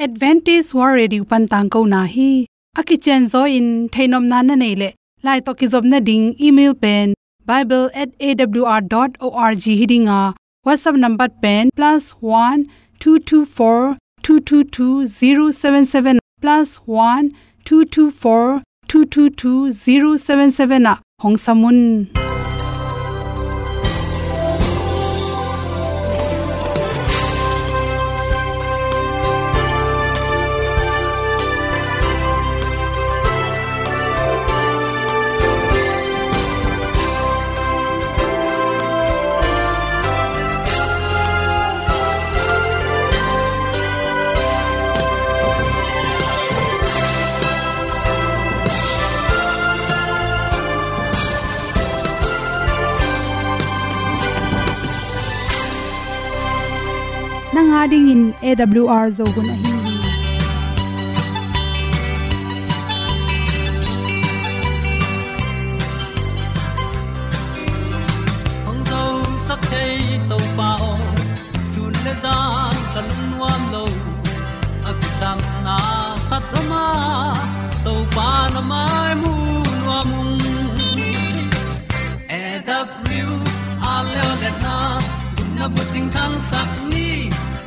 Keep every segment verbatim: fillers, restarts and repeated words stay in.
Adventist World Radio pan tangkona hi. A kicianzaw in theihnopna na neih leh, lai tawh kizopna ding email pen bible at A W R dot org hi ding a, WhatsApp number pen plus one two two four two two two zero seven seven, plus one two two four two two two zero seven seven ah hong sam un. Nang a dingin A W R Zo hun ahi hi. Hong zosak thei Topa aw, sun le zan ka lungnuam lo. A kisapna khat om a, Topa na mai mu nuam ung. A W R leo le na, gupna bucing thangsak ni.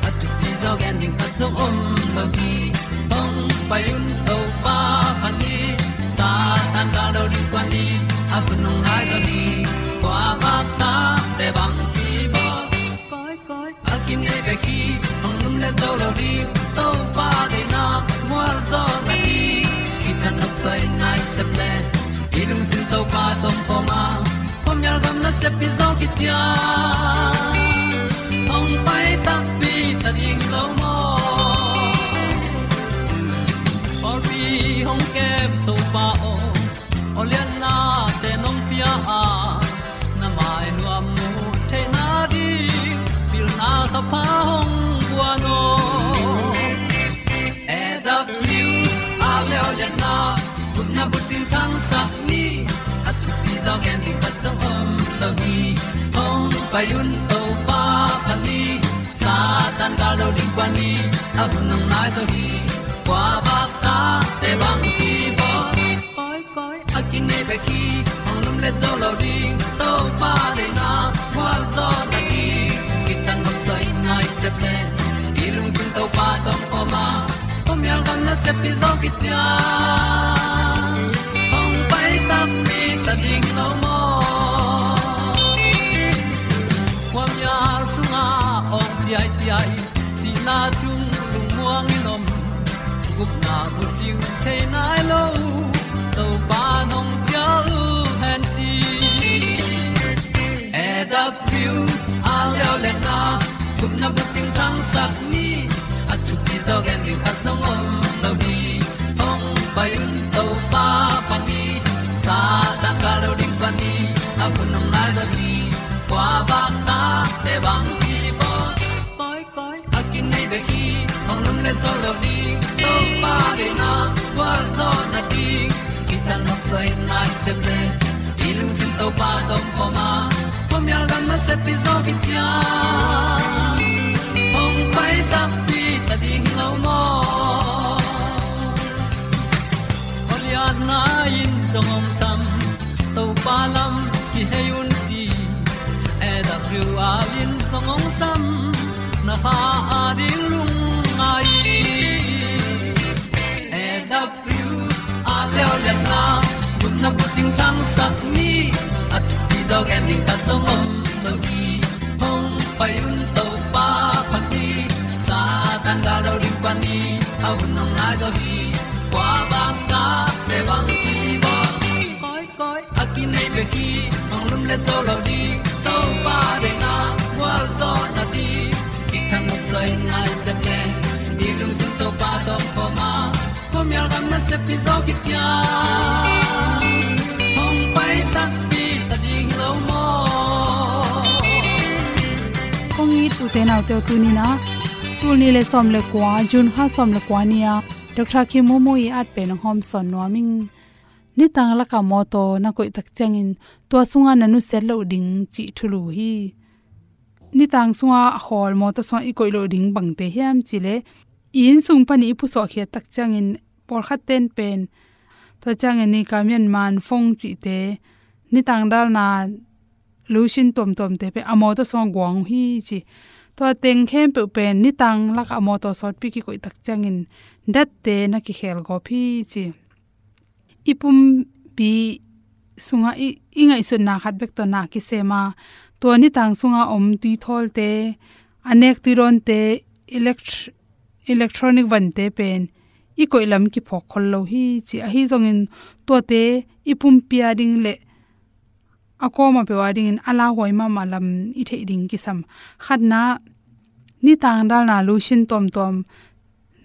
A thupi zaw gen ding khat zong om lo hi. Hong pai un Topa phat ni. Satan gal do ding kuan ni. A hun hong nai zaw ni. Kua vak ta te bang ki bawl. Koi, koi, a kinei bek hi, hong lum le zo lo ding, Topa deihna mual zaw na ding. Kitang nop soi nai sep le, i lungsim Topa tawh om khawm a, khuamial gam nasep hi zaw kician. Hong pai takpi ta ding lo maw. Pawlpi hong kem Topa aw, awlianna te nong pia a, na mai nuam mu theihna ding, pilna kha pha hong guan aw. A W R leo le na, gupna bucing thangsak ni. A thupi zaw gen ding khat zong om lo hi. Hong pai un Topa phat ni. Satan gal do ding kuan ni. A hun hong nai zaw hi. Kua vak ta te bang ki bawl. Koi, koi, a kinei bek hi, hong lum le zo lo ding, Topa deihna mual zaw na ding. Kitang nop soi nai sep le, i lungsim Topa tawh om khawm a, khuamial gam nasep hi zaw kician. Hong pai takpi ta ding lo maw. Khuamial sungah awng ciaiciai, sihna sung lungmuang in om, gupna bucing thei nai lo, Topa nong cial hen ci. A W R leo le na, gupna bucing thangsak ni. A thupi zaw gen ding khat zong om lo hi. Hong pai un Topa phat ni. Satan gal do ding kuan ni. A hun hong nai zaw hi. Kua vak ta te bang ki bawl. Koi, koi, a kinei bek hi, hong lum le zo lo ding, Topa deihna mual zaw na ding. Kitang nop soi nai sep le, i lungsim Topa tawh om khawm a, khuamial gam nasep hi zaw kician. Hong pai takpi ta ding lo maw. Awlianna in zong hong sam, Topa lam kihei un ci. A W R in zong hong sam, na kha a ding lungngai. A W R leo le na, gupna bucing thangsak ni. A thupi zaw gen ding khat zong om lo hi. Hong pai un Topa phat ni. Satan gal do ding kuan ni. A hun hong nai zaw hi. Kua vak ta te bang ki bawl. Koi, koi, a kinei bek hi, hong lum le zo lo ding, Topa deihna mual zaw na ding. Kitang nop soi nai sep le, i lungsim Topa tawh om khawm a, khuamial gam nasep hi zaw kician. Hong pai takpi ta ding lo maw. Kong it u te nau te, tuni in ah, tul nih le sawm le kua, June kha sawm le kua ni-a Doctor Kim Momo i at pen hong hawmsawn nuam ing. Nitang lakah mawtaw na koih tak ciangin tua sungah na nusiat loh ding cih thulu hi. Nitang sungah a khawl mawtaw sungah i koih loh ding bangte hiam cih leh, i inn sung panin i pusuahkhiat tak ciangin pawlkhat ten pen, tua ciangin ni ka mian man fong cihte, nitang dalna lotion tuamtuamte pen a mawtaw sungah guang uh hi ci. Tua teng khempeuh pen nitang lakah a mawtaw sawtpi kikoih tak ciangin datte na kikhel gawp hi ci. I pumpi sungah i, i ngaihsutna khat bek tawh na kisem a, tua nitang sungah om tuithawlte, a nek tuidawnte, elect-, electronic vante pen i koih lam kiphawk khol lo hi ci. Ahi zongin tuate i pumpi a ding le a kawma peuh a dingin a lauhuai mahmah lam i theih ding kisam. Khatna, nitang dalna lotion tuamtuam,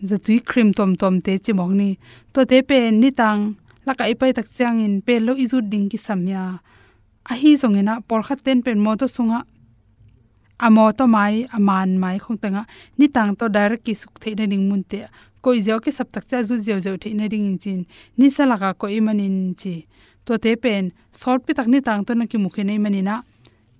zatui cream tuamtuamte cimawk ni. Tuate pen nitang lakah i pai tak ciangin pel lo i zut ding kisam hi a. Ahi zongin ah pawlkhat ten pen mawtaw sungah, a mawtaw mai, a man mai khong tengah nitang tawh direct kisuk theih nading munte ah koih ziau kisap tak ciang a zut ziauziau theih nadingin ci-in nisa lakah koih ahih manin ci. Tuate pen sawtpi tak nitang tawh na kimu khin ahih manin ah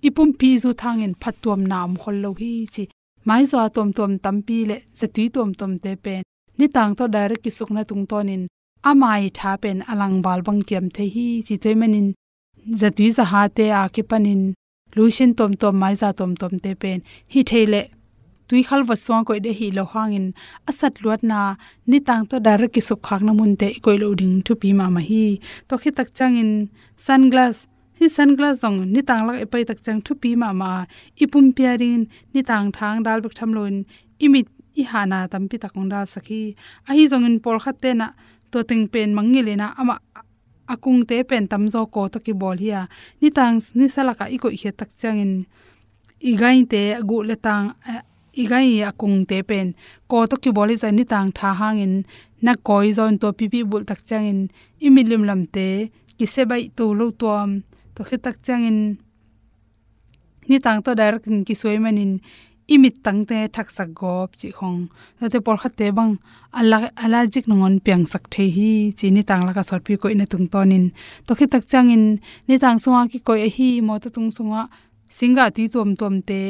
i pumpi i zut hangin phattuamna om khol lo hi ci. Maizaw tuamtuam tampi le zatui tuamtuamte pen nitang tawh direct kisukna tungtawnin a mai tha pen a langval bang kiam thei hi ci. Tua ahih manin zatui zahate a kipanin lotion tuamtuam, maiza tuamtuamte pen hih thei leh tuikhal vot sungah koih ding hi lo hangin a satluatna nitang tawh direct kisukkhakna munte i koih loh ding thupi mahmah hi. Tua khit tak ciangin sunglass, hih sunglass zong nitang lakah i pai tak ciang thupi mahmah a, i pumpi a dingin nitang tha hong dal bek tham loin i mit i hahna tampi tak hong dalsak hi. Ahi zongin pawlkhat ten ah tua teng pen mangngilh in ah amah a kungte pen tamzaw kaw tawh kibawl hi a, nitang nisa lakah i koihkhiat tak ciangin i gaite a guh le tang, eh, i gai a kungte pen kaw tawh kibawl hi zah nitang tha hangin na kawi zaw in tua pipi bulh tak ciangin i mit limlamte kisia baih to lo tuam. Tua khit tak ciangin nitang tawh direct in kisuai manin i mittangte thaksak gawp cih khong. Tuate pawlkhatte bang a la-, allergic nangawn piangsak thei hi ci, nitang lakah sawtpi koihna tungtawnin. Tua khit tak ciangin nitang sungah kikoih ahi mawtaw tung sungah singgah tui tuamtuamte,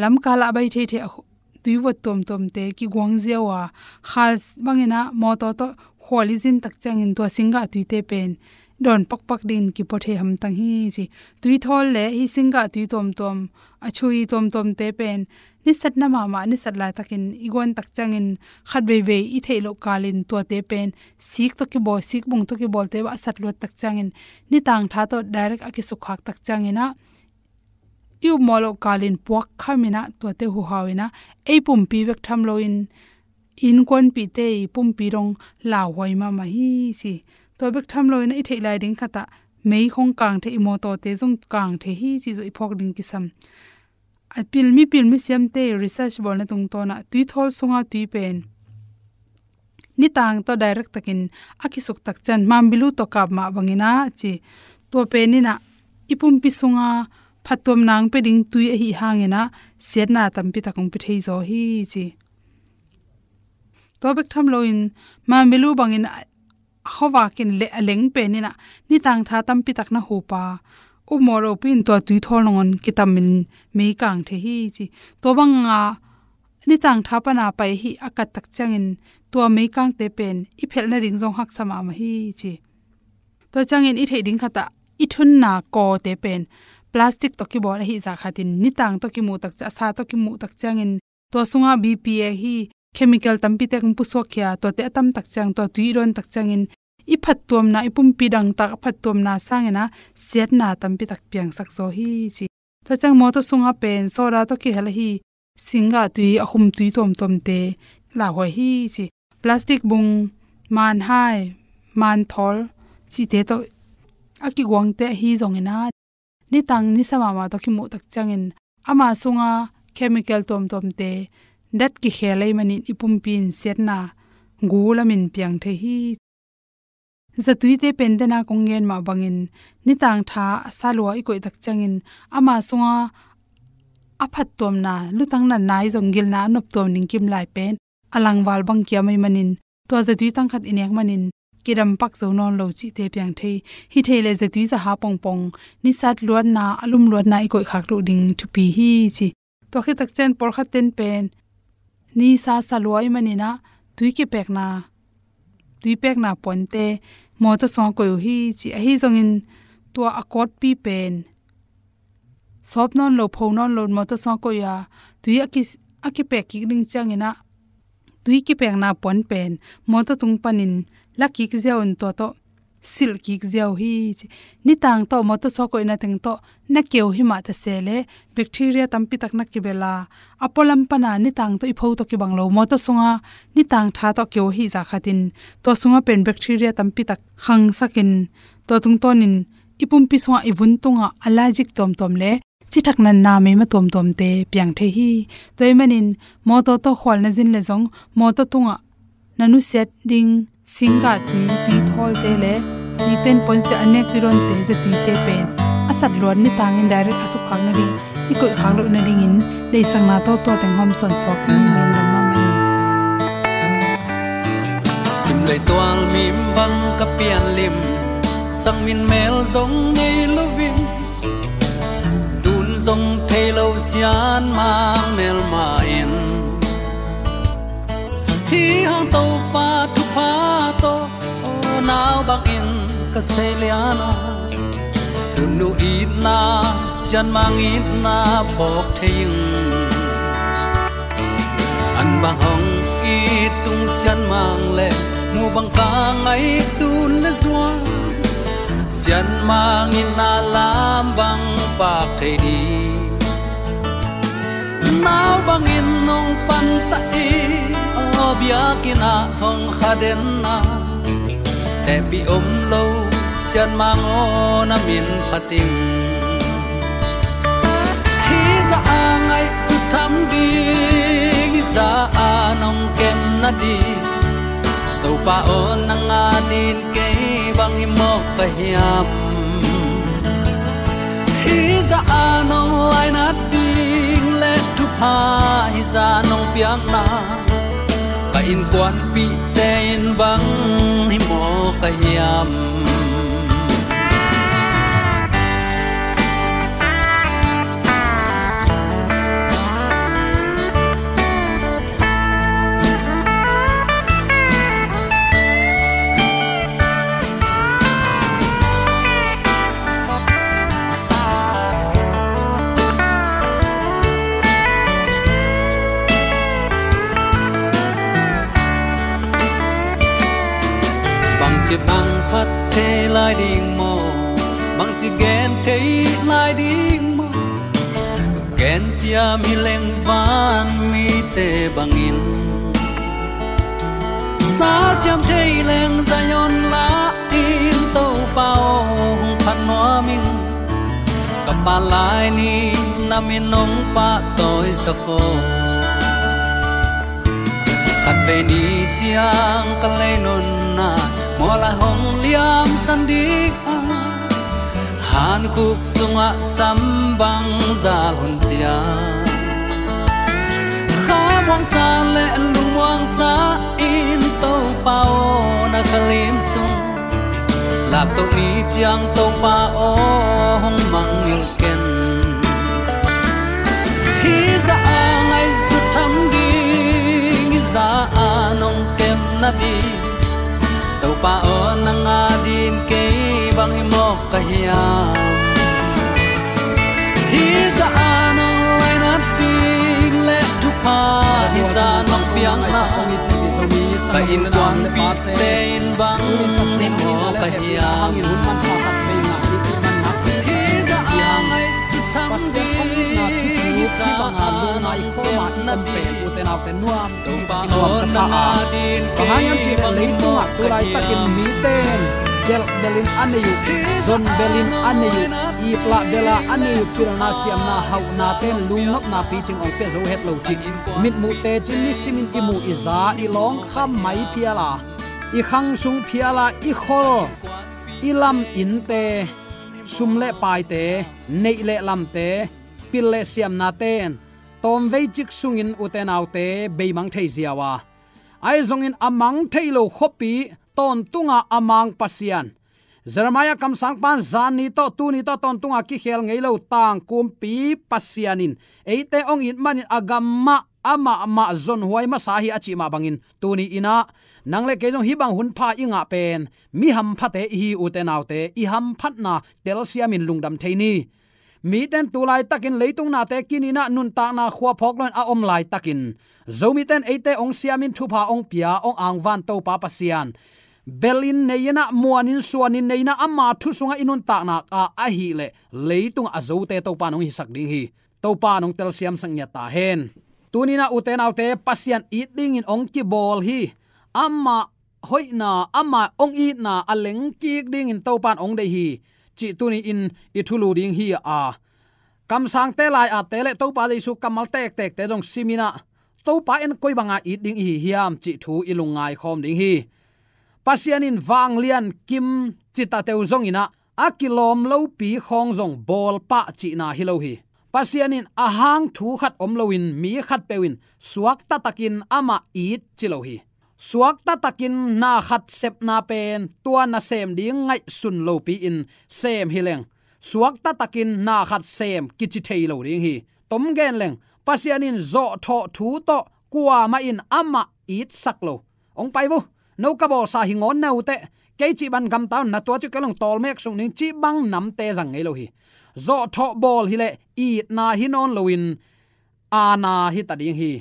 lamkal ah a bai theithei a khu-, tuivot tuamtuamte kiguang ziau a, kha bangin ah mawtaw tawh khual i zin tak ciangin tua singgah tuite pen dawn pakpak dingin kipua thei hamtang hi ci. Tuithawl le hih singgah tui tuamtuam, a chui tuamtuamte pen nisatna mahmah, nisat laitakin i guan tak ciangin khat veivei i theih loh kalin tuate pen sik tawh kibawl, sikbung tawh kibawlte bah a satluat tak ciangin nitang tha tawh direct a kisukkhak tak ciangin ah i upmawh loh kalin puak khamin ah tuate huhau in ah ei pumpi bek tham loin innkuanpihte i pumpi dong lauhuai mahmah hi ci. Tua bek tham loin ah i theih lai ding khat ah mei khong kang thei, i mawtawte zong kang thei hi cih zong i phawk ding kisam. A pil, mipil misiamte research bawlna tungtawn ah tuithawl sunga tui pen nitang tawh direct takin a kisuk tak ciang mambilu tawh kap mah bangin ah ci. Tua pen in ah i pumpi sunga phattuamna hong pia ding tui ahih hangin ah siatna tampi tak hong pia thei zaw hi ci. Tua bek tham loin mambilu bangin a, a khuavak in le a leng pen in ah nitang tha tampi tak na hup a, upmawh lopi in tua tuithawl nangawn kitamin mei kang thei hi ci. Tua banga nitang tha pana pai hi a kat tak ciangin tua meikangte pen i phelh nading zong haksa mahmah hi ci. Tua ciangin i theih ding khat ah i thunna kawte pen plastic tawh kibawl ahih zah khatin nitang tawh kimuh tak ciang, a sa tawh kimuh tak ciangin tua sungah B P A hi chemical tampi tek hong pusuak khia, tuate a tam tak ciang tua tui i dawn tak ciangin i phattuamna, i pumpi dangtak a phattuamna sangin ah siatna tampi tak piangsak zaw hi ci. Tua ciang mawtaw sungah pen soda tawh kihel ahi singgah tui, a khum tui tuamtuamte lauhuai hi ci. Plastic bung, manhai, manthawl cihte tawh a kiguangte ahi zongin ah nitang nisa mahmah tawh kimuh tak ciangin ama sunga chemical tuamtuamte dat kikhel ahih manin i pumpi in siatna gu lamin piang thei hi. Zatuite pen dena kong gen mah bangin nitang tha a sa lua i koih tak ciangin ama sunga a phattuamna, lutang natna ahi zong gilna a noptuam ding kimlai pen a langval bang kiam ahih manin tua zatui tang khat i nek manin kidam pak zo nawn lo cihte piang thei hi. Thei le zatui zaha pongpong nisat luatna, a lum luatna i koihkhak loh ding thupi hi ci. Tua khit tak ciang pawlkhat ten pen nisa sa lua ahih manin ah tui kipekna, tui pekna puante mawtaw sungah koih uh hi ci. Ahi zongin tua a kawtpi pen sawp nawn lo, pho nawn lo, mawtaw sungah koih a, tui a ki, a kipek kik ding ciangin ah tui kipekna puan pen mawtaw tung panin la kik ziau in tua tawh silh kik ziau hi ci. Nitang tawh mawtaw sungah koihna teng tawh na keu hi mah ta se leh bacteria tampi tak na kibel a, a pualam pana nitang tawh i pho tawh kibang lo, mawtaw sunga nitang tha tawh keu hi zah khatin tua sunga pen bacteria tampi tak khangsakin tua tungtawnin i pumpi sungah, i vun tungah allergic tuamtuam le cithak natna meima tuamtuamte piang thei hi. Tua ahih manin mawtaw tawh khual na zin leh zong mawtaw tungah na nusiat ding singgah tui, tui thawlte le tui ten puansia a nek tui dawnte, zatuite pen a sat luat nitangin direct a sukkhak nading, i koihkhak loh nadingin deihsakna tawh tua teng hawm sawnsuak in lungdam mahmah ing. Sim lei tual mim bang ka pian lim, sang min mel zong nei lo ving, tun zong thei lo sian mang melmah in. Hih hang Topa thupha tawh, aw nau bangin ka sei lian a, nunu itna, sian mang itna phawk thei ing. An bang hong it tung sian mang le mu bang ka ngaih tun le zuan, sian mang itna lam bang pak thei ding. Nau bangin nong panta i, aw biakinn ah hong kha den a, tehpih om lo sian mang aw na min phat ing. Hih zah a ngaihsut tham ding, hih zah a nong kem nading, Topa aw nang adin kei bang hi mawk ka hiam? Hih zah a nong lainat ding le thupha hih zah nong piakna, ka innkuanpihte in bang hi mawk ka hiam? Bangci bang phat thei lai ding maw? Bangci gen thei lai ding maw? Gensiam hi leng van mite bangin, sa siam thei leng Zion lah in Topa aw hong phat nuam ing. Ka pa lai ni na min hong pahtawisak aw. Khatvei ni ciang ka lei nunna mawlai hong liamsan ding a, hankhuk sungah sam bang zal hun ciang, khamuangsa le lungmuangsa in Topa aw na khalim sung, laptoh ni ciang Topa aw hong mangngilh ken. Hih zah a ngaihsut tham ding, hih zah a nong kem nading, Topa aw nang adin kei bang hi mawk ka hiam? Hih zah a nong lainat ding le thupha hih zah nong piakna, ka innkuanpihte in bang hi mawk ka hiam? Hih zah a ngaihsut tham ding, hih zah a nong kem nading, Topa aw nang adin kei bang hi mawk ka hiam? Bang hang hiam cih leh leitungah tu laitakin mite in delh belin a nei uh, zon belin a nei uh, iplah bela a nei uh, pilna siamna hauhnate in lungnopna picing hong pia zo het lo cih mitmuhte cin nisimin i muh i za i lawngkham mai phial a, i khang sung phial a, i khol, i lam innte, sum le paite, neih le lamte, pil le siamnate in tawmvei cik sungin ute naute beimang thei ziau a, ahi zongin a mang thei lo khuapi tawntunga a mang Pasian, Jeremiah kamsangpa in zan ni tawh tuni tawh tawntunga kikhel ngei lo tangkumpi Pasian in eite hong it manin a gam mah amah mah zonhuai masa hi a cih mah bangin, tuni in ah nang le kei zong hih bang hun pha i ngah pen mi hamphate i hi, ute naute, i hamphatna telsiamin lungdam thei ni. Mite in tu laitakin leitung nate kinin ah nuntakna khua phawk loin a om laitakin, Zomite in eite hong siamin thupha hong pia, hong angvan Topa Pasian, belin nei in ah, muanin suanin nei in ah, ama thu sungah i nuntakna ah ahih leh leitungah a zote Topa in hong hisak ding hi. Topa in hong telsiamsak ngiat ta hen. Tuni in ah, ute naute, Pasian it dingin hong kibawl hi. Ama hoihna, ama hong itna a lengkik dingin Topa in hong deih hi, cih tuni in i thulu ding hi a, kamsangte, lai-atte le Topa Jesu kammal tektekte zong sim in ah, Topa in koi banga it ding i hi hiam cih thu i lungngai khawm ding hi. Pasian in vanglian kim citateu zongin ah, a kilawm lopi khawng zong bawl pah cihna hi lo hi. Pasian in a hang thu khat om loin mi khatpeuh in suakta takin amah it ci lo hi. Suakta takin na khat sepna pen tua nasem ding ngaihsun lopi-in sem hi leng, suakta takin na khat sem kici thei lo ding hi. Tom gen leng, Pasian in zawhthawh thu tawh kuamah in amah itsak lo. Hong pai vo, no ka bawlsa hi ngawn na uh teh, kei cih bang gamta un, na tua cih kei leng tawlmek sung ning cih bang namte zang ngei lo hi. Zawhthawh bawl hi leh itna hi nawn loin aana hi ta ding hi.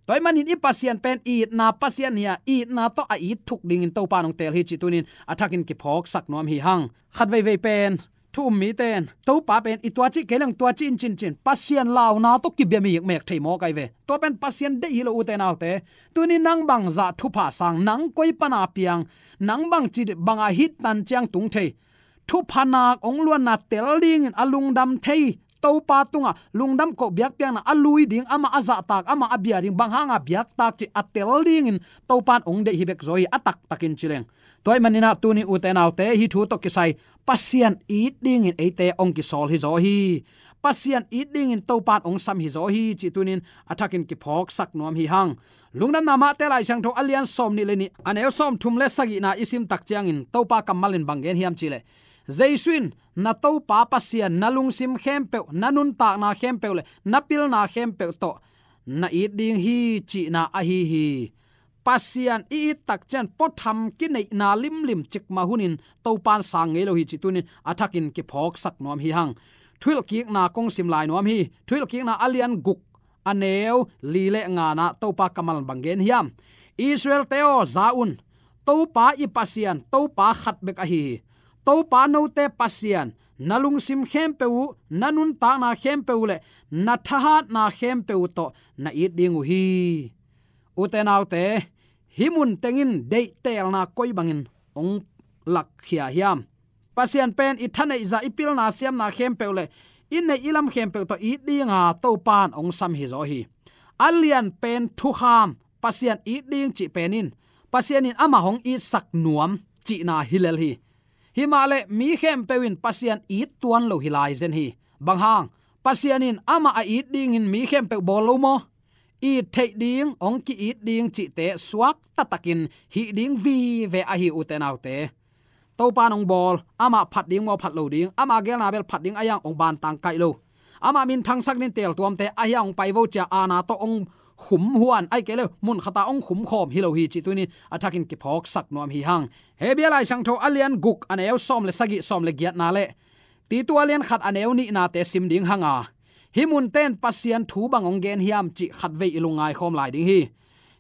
Tua ahih manin i Pasian pen itna Pasian hi a, itna tawh a it thuk dingin Topa in hong teel hi cih tuni in a thakin kiphawksak nuam hi hang. Khat veivei pen thu um mite in Topa pen i tua cih kei leng tua cih in ci-in ci-in Pasian launa tawh kibia mikmek thei mawk ahi ve. Tua pen Pasian deih hi lo, ute naute. Tuni nang bangzah thupha sang, nang koi pana piang, nang bangci banga hih tan ciang tung thei, thupha nak hong luanna tel dingin a lungdam thei Topa tungah lungdam koh biakpiakna a lui ding, amah a zahtak, amah a bia ding, bang hanga biaktak cih a tel dingin Topa in hong deih hi bek zaw hi, a taktakin ci leng. Tua ahih manin ah tuni, ute naute, hih thu tawh kisai Pasian it dingin eite hong kisawl hi zaw hi. Pasian it dingin Topa in hong sam hi zaw hi cih tuni in a thakin kiphawksak nuam hi hang. Lungdamna Mate Lai Siangtho a lian sawmnih le nih, a neu sawmthum le sagihna i sim tak ciangin Topa kammal in bang gen hiam cih leh, Jesu in, na Topa Pasian na lungsim khempeuh, na nuntakna khempeuh le na pilna khempeuh tawh na it ding hi cihna ahi hi. Pasian i it tak ciang puatham kineihna limlim cikmah hunin Topa in sang ngei lo hi cih tuni in a thakin kiphawksak nuam hi hang. Thuhilhkikna kong sim lai nuam hi. Thuhilhkikna a lian guk, a neu li le ngana Topa kammal bang gen hiam? Israel-te aw, za un. Topa i Pasian, Topa khat bek ahi hi. Topa note Pasian, na lungsim khempeuh uh, na nuntakna khempeuh uh le na thahatna khempeuh uh tawh na it ding uh hi. Ute naute, hih mun tengin deihtelna koi bangin hong lakkhia hiam? Pasian pen i thaneihzah, i pilna siamna khempeuh le i neih i lam khempeuh tawh it dinga Topa in hong sam hi zaw hi. A lian pen thukham, Pasian it ding cih pen in Pasian in amah hong itsak nuam cihna hi lel hi. Himah le mi khempeuh in Pasian it tuan lo hi lai zen hi. Bang hang? Pasian in amah a it dingin mi khempeuh bawl lo maw? It theih ding, hong ki-it ding cihte suakta takin hih ding vive ahi, ute naute. Topa in hong bawl, amah phat ding maw, phat lo ding, ama geelna bel phat ding ahi hang hong bantang kaih lo. Amah minthangsak ding teeltuamte ahi hang hong pai vo ci-a aana tawh hong khum huan, ahih kei leh mun khata hong khum khawm hi lo hi cih tuni in a thakin kiphawksak nuam hi hang. Hebru Lai Siangtho a lian guk, a neu sawm le sagih, sawm le giatna le Titu a lian khat, a neu nihnate sim ding hanga, hih munte in Pasian thu bang hong gen hiam cih khatvei i lungngai khawm lai ding hi.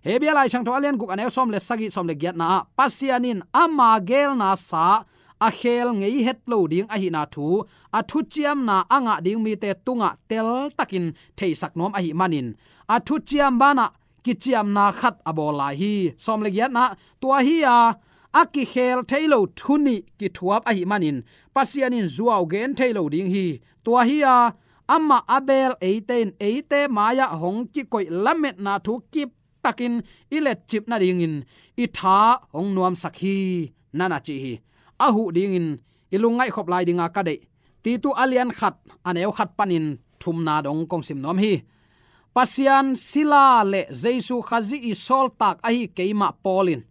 Hebru Lai Siangtho a lian guk, a neu sawm le sagih, sawm le giatna ah Pasian in ama geelna sa a kheel ngei het lo ding ahihna thu a thuciamna a ngah ding mite tungah teltakin theisak nuam ahih manin, a thuciam banah kiciamna khat a bawl lai hi. Sawm le giatna, tua hi-a, a kikheel thei lo thu nih kithuap ahih manin Pasian in zuau gen thei lo ding hi. Tua hi-a, amah a beel eite in eite mai-ah hong kikoih lametna thu kip takin i letcip nadingin i tha hong nuamsak hi, na na ci hi. A huh dingin i lungngaih khop lai dinga ka deih Titu a lian khat, a neu khat panin thumna dong kong sim nuam hi. Pasian sila le Jesu Khazih i sawltak ahi keimah Paul in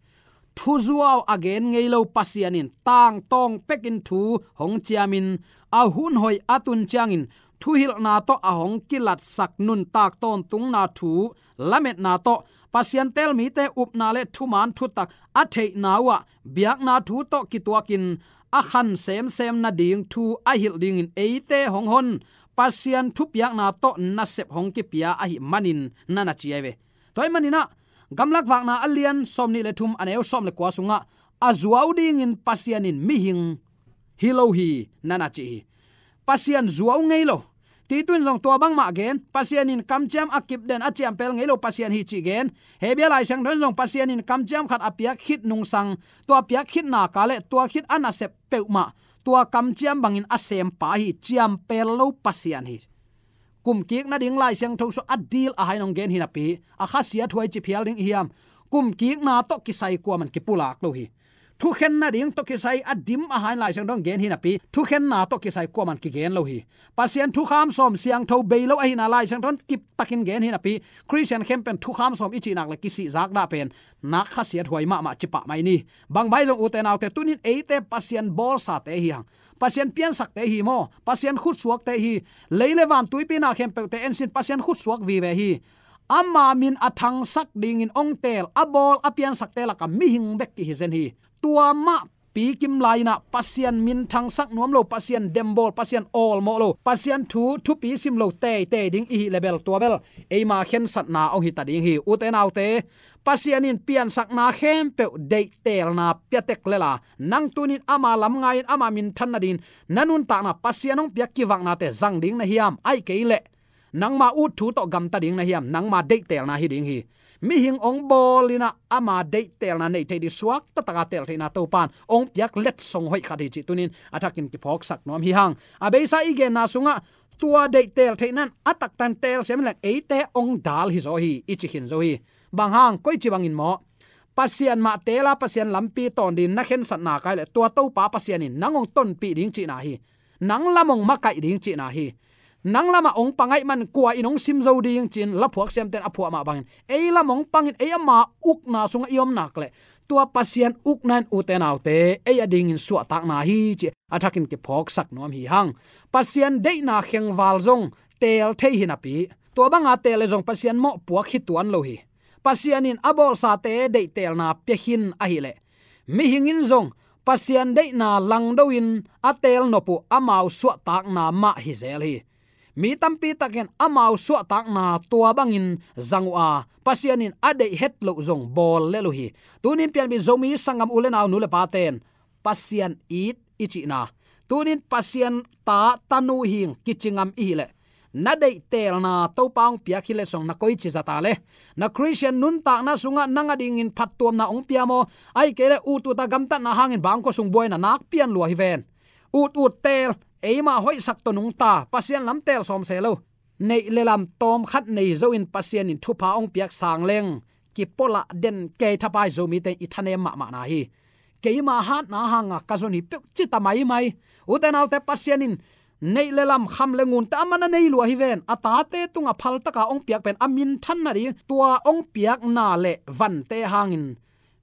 thuzuau a gen ngei lo Pasian in tangtawng pekin thu hong ciamin, a hun hoih a tun ciangin thuhilhna tawh a hong kilatsak nuntak tawntungna thu lametna tawh Pasian teel mite upna le thuman thutak a theihna uhah biakna thu tawh kituakin a khan semsem nading thu a hilh dingin eite hong hon Pasian thupiakna tawh nasep hong kipia ahih manin na na ci ahi ve. Tua ahih maninah Gamlak Vakna a lian sawmnih le thum a neu sawm le kua sungah a zuau dingin Pasian in mihing hi lo hi na na ci hi. Pasian zuau ngei lo. Titu in zong tua bangmah gen, Pasian in kamciam a kipden a ciampel ngei lo Pasian hi cih gen. Hebia Lai Siangtho in zong Pasian in kamciam khat a piak khit nungsang, tua piak khit naka le tua khit a nasep peuhmah tua kamciam bangin a sempa hi, ciampel lo Pasian hi. Kumkik nading Lai Siangtho sung a dil a hai nong gen hi napi a khasiat huai ci phial ding i hiam? Kumkikna tawh kisai kuaman kipulak lo hi. Thukhen nading tawh kisai a dim a hai Lai Siangtho in gen hi napi thukhenna tawh kisai kuaman kigen lo hi. Pasian thukham sawm siangtho bei lo ahihna Lai Siangtho in kiptakin gen hi napi Khristian khempeuh thukham sawm i cihnak le kisihzak dah pen nak khasiat huai mahmah cipah mai ni. Bang bai zong ute naute tunin eite Pasian bawlsate hi hang. Pasian piansakte hi maw? Pasian khutsuakte hi. Lei le van tuipi na khempeuhte ensin Pasian khutsuak vive hi. Ama min a thangsak dingin ong teel a bawl a piansakte laka mihing bek kihi zen hi. Tua mah pikim lai-inah Pasian min thangsak nuam lo, Pasian dembawl, Pasian awlmawh lo, Pasian thu thupi sim lo teitei ding i hih le bel tua bel eima khensatna ong hita ding hi. Ute naute, Pasian in piansakna khempeuh deihtelna piatek lela nang tunin ama lam ngai-in ama minthan nadingin na nuntakna Pasian hong piak kivaknate zang ding na hiam? Aih kei leh nangma ut thu tawh gamta ding na hiam? Nangma deihtelna hi ding hi. Mihing ong bawl inah ama deihtelna neih theih ding suak tataka teel theihna Topan ong piak letsong hoih khat hi cih tunin a thakin kiphawksak nuam hi hang. A beisa i genna sungah tua deihteel theihna in a taktan teel siam hileng eite ong dal hi zaw hi, i ci khin zo hi. Bang hang, koici bangin maw? Pasian mah teela Pasian lampi tawn dingin na khensatna kai le tua Topa Pasian in nang ong tonpih ding cihna hi. Nang lam ong makaih ding cihna hi. Nang lamah ong pangaih man kua in ong sim zo ding ci-in laphuak siamten a phuah mah bangin ei lam ong pangin ei ama ukna sungah i om nak le tua Pasian ukna in ute naute ei a dingin suahtakna hi ci a thakin kiphawksak nuam hi hang. Pasian deihna khengval zong teel thei hi napi tua banga teel le zong Pasian mawhpuak hi tuan lo hi. Pasian in a bawlsate deihtelna pia khin ahileh mihing in zong Pasian deihna langdo-in a teel nop uh amau suahtakna mah hi zel hi. Mi tampi takin amau suahtakna tua bangin zang uh a Pasian in a deih het loh zong bawl lel uh hi. Tunin pianpih Zomi sanggam u le nau nu le paten Pasian it i cihna, tunin Pasian ta tanu hing kici ngam i hileh na deihtelna Topa hong piak hi leh song na koici zata le na Khristian nuntakna sungah nang a dingin phattuamna hong pia maw? Aih kei leh ut uta gamtatna hangin bangkua sung buaina nak pian lua hi ven. Ut ut teel, eima hoihsak tawh nungta Pasian lam teel sawm se lo. Neih le lam tawmkhat nei zo-in Pasian in thupha hong piak sang leng kipualah den kei thapai Zomite i thanem mahmahna hi. Keima hatna hanga ka zon hi peuh cita maimai. Ute naute, Pasian in neih le lam, kham le ngunte a man a nei lua hi ven. A tate tunga phaltaka hong piak pen a minthan nading tua hong piakna le vante hangin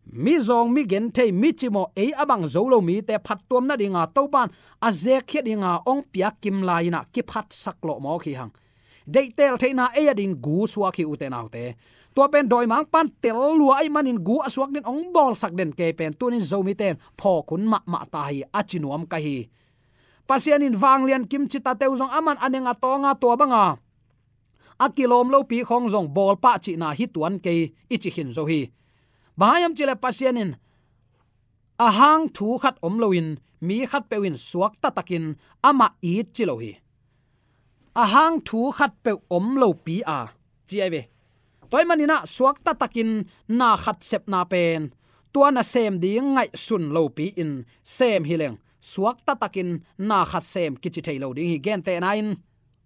mizawng, migenthei, micimawh, ei a bang zo lo mite phattuam nadinga Topan a zekkhiat dinga hong piak kim lai-inah kiphatsak lawh mawk hi hang. Deihteel theihna ei a dingin gu suak hi ute naute. Tua pen dawimangpan tel lua ahih manin gu a suak dingin hong bawlsak den kei pen tunin Zomite in phawk hun mahmah ta hi a ci nuam ka hi. Pasian in vanglian kim cita teu zong a man a neng a tawnga tua banga a kilawm lopi khawng zong bawlpah cihna hi tuan kei, i ci khin zo hi. Bang hang hiam cihleh Pasian in a hang thu khat om loin mi khatpeuh in suakta takin amah it ci lo hi. A hang thu khatpeuh om lopi a ci ahi ve. Tua ahih maninah suakta takin na khat sepna pen tua na sem ding ngaihsun lopi in sem hileng suakta takin na khat sem kici thei lo ding hi. Gentehna in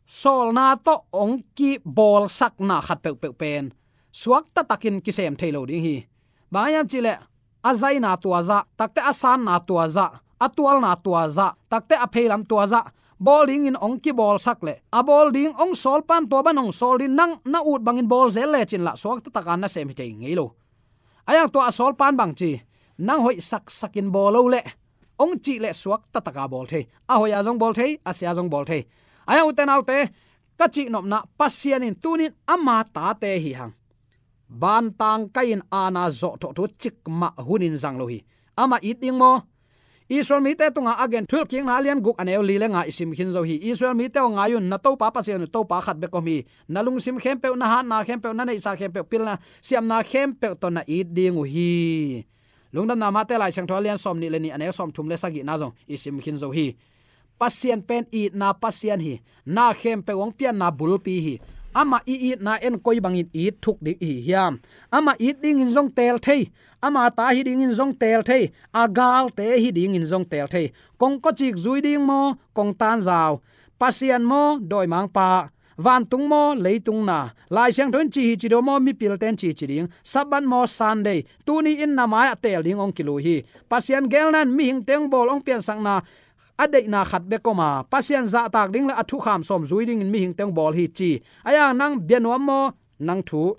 sawlna tawh hong kibawlsakna khat peuhpeuh pen suakta takin kisem thei lo ding hi. Bang hiam cihleh a zaina tua zah, takte a sanna tua zah, a tualna tua zah, takte a pheilam tua zah bawl dingin hong kibawlsak leh a bawl ding hong sawlpan tua ban hong sawl ding, nang na ut bangin bawl zel lecin lah suakta taka na sem hi thei ngei lo. A yang tua a sawlpan bang ci, nang hoih saksakin bawl lo leh hong cih leh suakta taka bawl thei. A hoih a zong bawl thei, a sia zong bawl thei. Ahi hang ute naute, ka cihnopna, Pasian in tunin ama tate hi hang. Bantang kai-in aana zawhthawh thu cikmah hunin zang lo hi. Amah it ding maw? Israel mite tungah a gen Thuhilhkikna a lian guk a neu li le nga i sim khin zo hi. Israel mite aw, ngai un, na Topa Pasian uh Topa khat bek om hi. Na lungsim khempeuh, na hatna khempeuh, na neihsa khempeuh, pilna siamna khempeuh tawh na it ding uh hi. Lungdamna Mate Lai Siangtho a lian sawmnih le nih a neu sawmthum le sagihna zong i sim khin zo hi. Pasian pen itna Pasian hi. Na khempeuh hong pianna bulpi hi. Amah i itna en koi bangin it thuk ding i hi hiam? Amah it dingin zong teel thei. Ama ta hi dingin zong teel thei. A galte hi dingin zong teel thei. Kong kawcik zui ding maw, kong tanzau? Pasian maw, dawimangpa? Vantung maw, leitung na? Lai Siangtho in ci hi ci ding maw, mipilte'n ci ci ding? Sabbath maw, Sunday? Tuni in na mai-ah teel ding hong kilui hi. Pasian geelna in mihingte hong bawl, hong piansakna a deihna khat bek om a, Pasian zahtak ding le a thukham sawm zui dingin mihingte hong bawl hi ci. Ahi hang nang bia nuam maw, nang thu?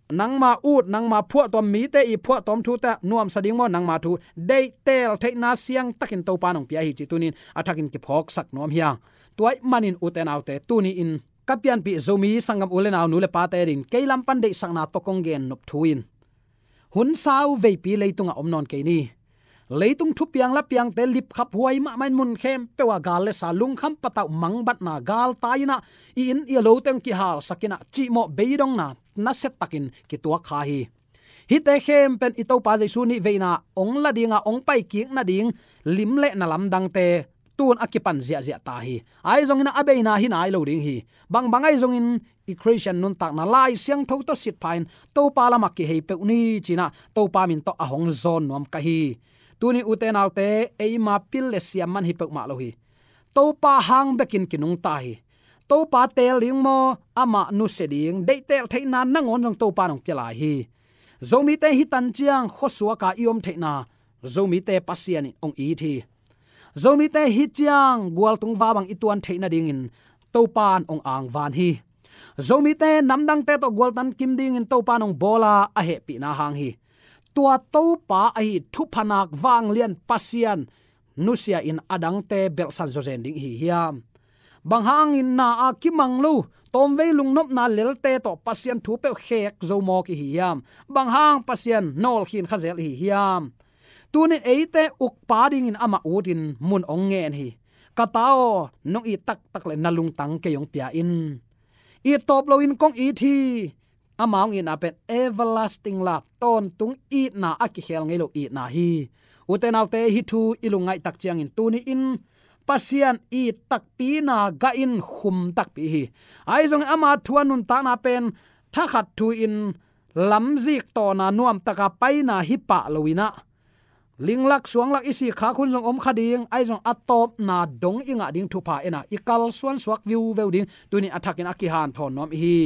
Nangma ut, nangma phuahtawm, mite i phuahtawm thute nuamsa ding maw, nangma thu? Deih teel theihna siangtakin Topa in hong pia hi ci tunin a thakin kiphawksak nuam hi hang. Tua ahih manin ute naute, tuni in ka pianpih Zomi sanggam u le nau, nu le pate dingin kei lam pan deihsakna tawh kong gen nop thu in, hun sau veipi leitungah om nawn kei ni. Leitung thupiang lapiangte lipkhaphuai mahmah in, mun khempeuh ah gal le sa, lungkham patauh mangbatna, galtai in ah i inn i lote hong kihalsak in ah, cihmawh beidongna nasia takin kituak kha hi. Hihte khempeuh in i Topa Jesu nih veina hong la ding a, hong paikik nading lim le na lamdangte tun a kipan ziahziah ta hi. Ahi zongin a beina hi nai lo ding hi. Bangbang ahi zongin i Khristian nuntakna Lai Siangtho tawh sitpha in Topa lamah kihei peuh ni ci-in ah Topa min tawh a hong zawn nuam ka hi. Tuni ute naute, eima pil le siam man hi peuhmah lo hi. Topa hang bekin kinungta hi. Topa teel ding maw, amah nusia ding, deih teel theihna nangawn zong Topa in hong pia lai hi. Zomite hi tan ciang khuasuak a i om theihna Zomite Pasian in hong it hi. Zomite hi ciang gualtung va bang i tuan theih nadingin Topa in hong angvan hi. Zomite namdangte tawh gualtan kim dingin Topa in hong bawl a, a hehpihna hang hi. Tua Topa ahi thupha nak vanglian Pasian nusia in a dangte belhsan zawzen ding i hi hiam? Bang hangin na a kimang lo, tawmvei lungnopna lelte tawh Pasian thu peuh khek zo mawk i hi hiam? Bang hang Pasian nawlkhin kha zel i hi hiam? Tunin eite ukpa dingin amah utin mun hong ngen hi. Ka ta aw, nong it taktak leh na lungtang kei hong pia in. It tawp loin kong it hi. Ama hong itna pen everlasting love, tawntung itna, a kikhel ngei lo itna hi. Ute naute, hih thu i lungngaih tak ciangin tuni in Pasian it takpina gah in khum takpi hi. Ahi zongin ama thu a nuntakna pen thakhat thu in lamzik tawna nuamtaka paina hi pah lo in ah, linglak suanglak i sikkhak hun zong om kha ding, ahi zong a tawpna dong i ngah ding thupha en a, i kalsuan suak viuveu ding, tuni a thakin a kihanthawn nuam i hi.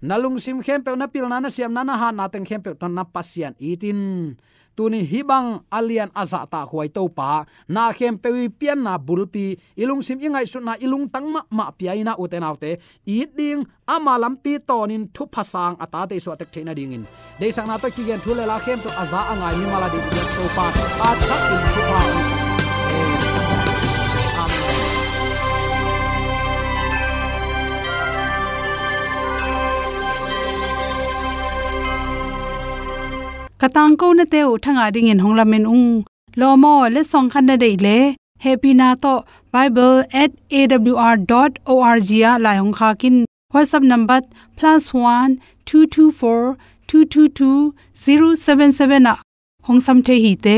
Na lungsim khempeuh, na pilna, na siamna, na hatna teng khempeuh tawh na Pasian it in. Tuni hih bang a lian a zahtakhuai Topa, na khempeuh i pianna bulpi, i lungsim i ngaihsutna, i lungtang mahmah pia in ah, ute naute, it ding, ama lampi tawnin thupha sang a tate i suahtek theih nadingin, deihsakna tawh kigen thu le la khempeuh a za a ngai mimal a ding i biak Topa a thakin thupha hong pia. Amen. Ka tangkonate uh thangah dingin hong lamen ung. Lawm aw, letsong khat na deih leh, hehpihna tawh bible at A W R dot O R G ah lai hong khak in. WhatsApp number plus one two two four two two two zero seven seven ah hong sam thei hi te.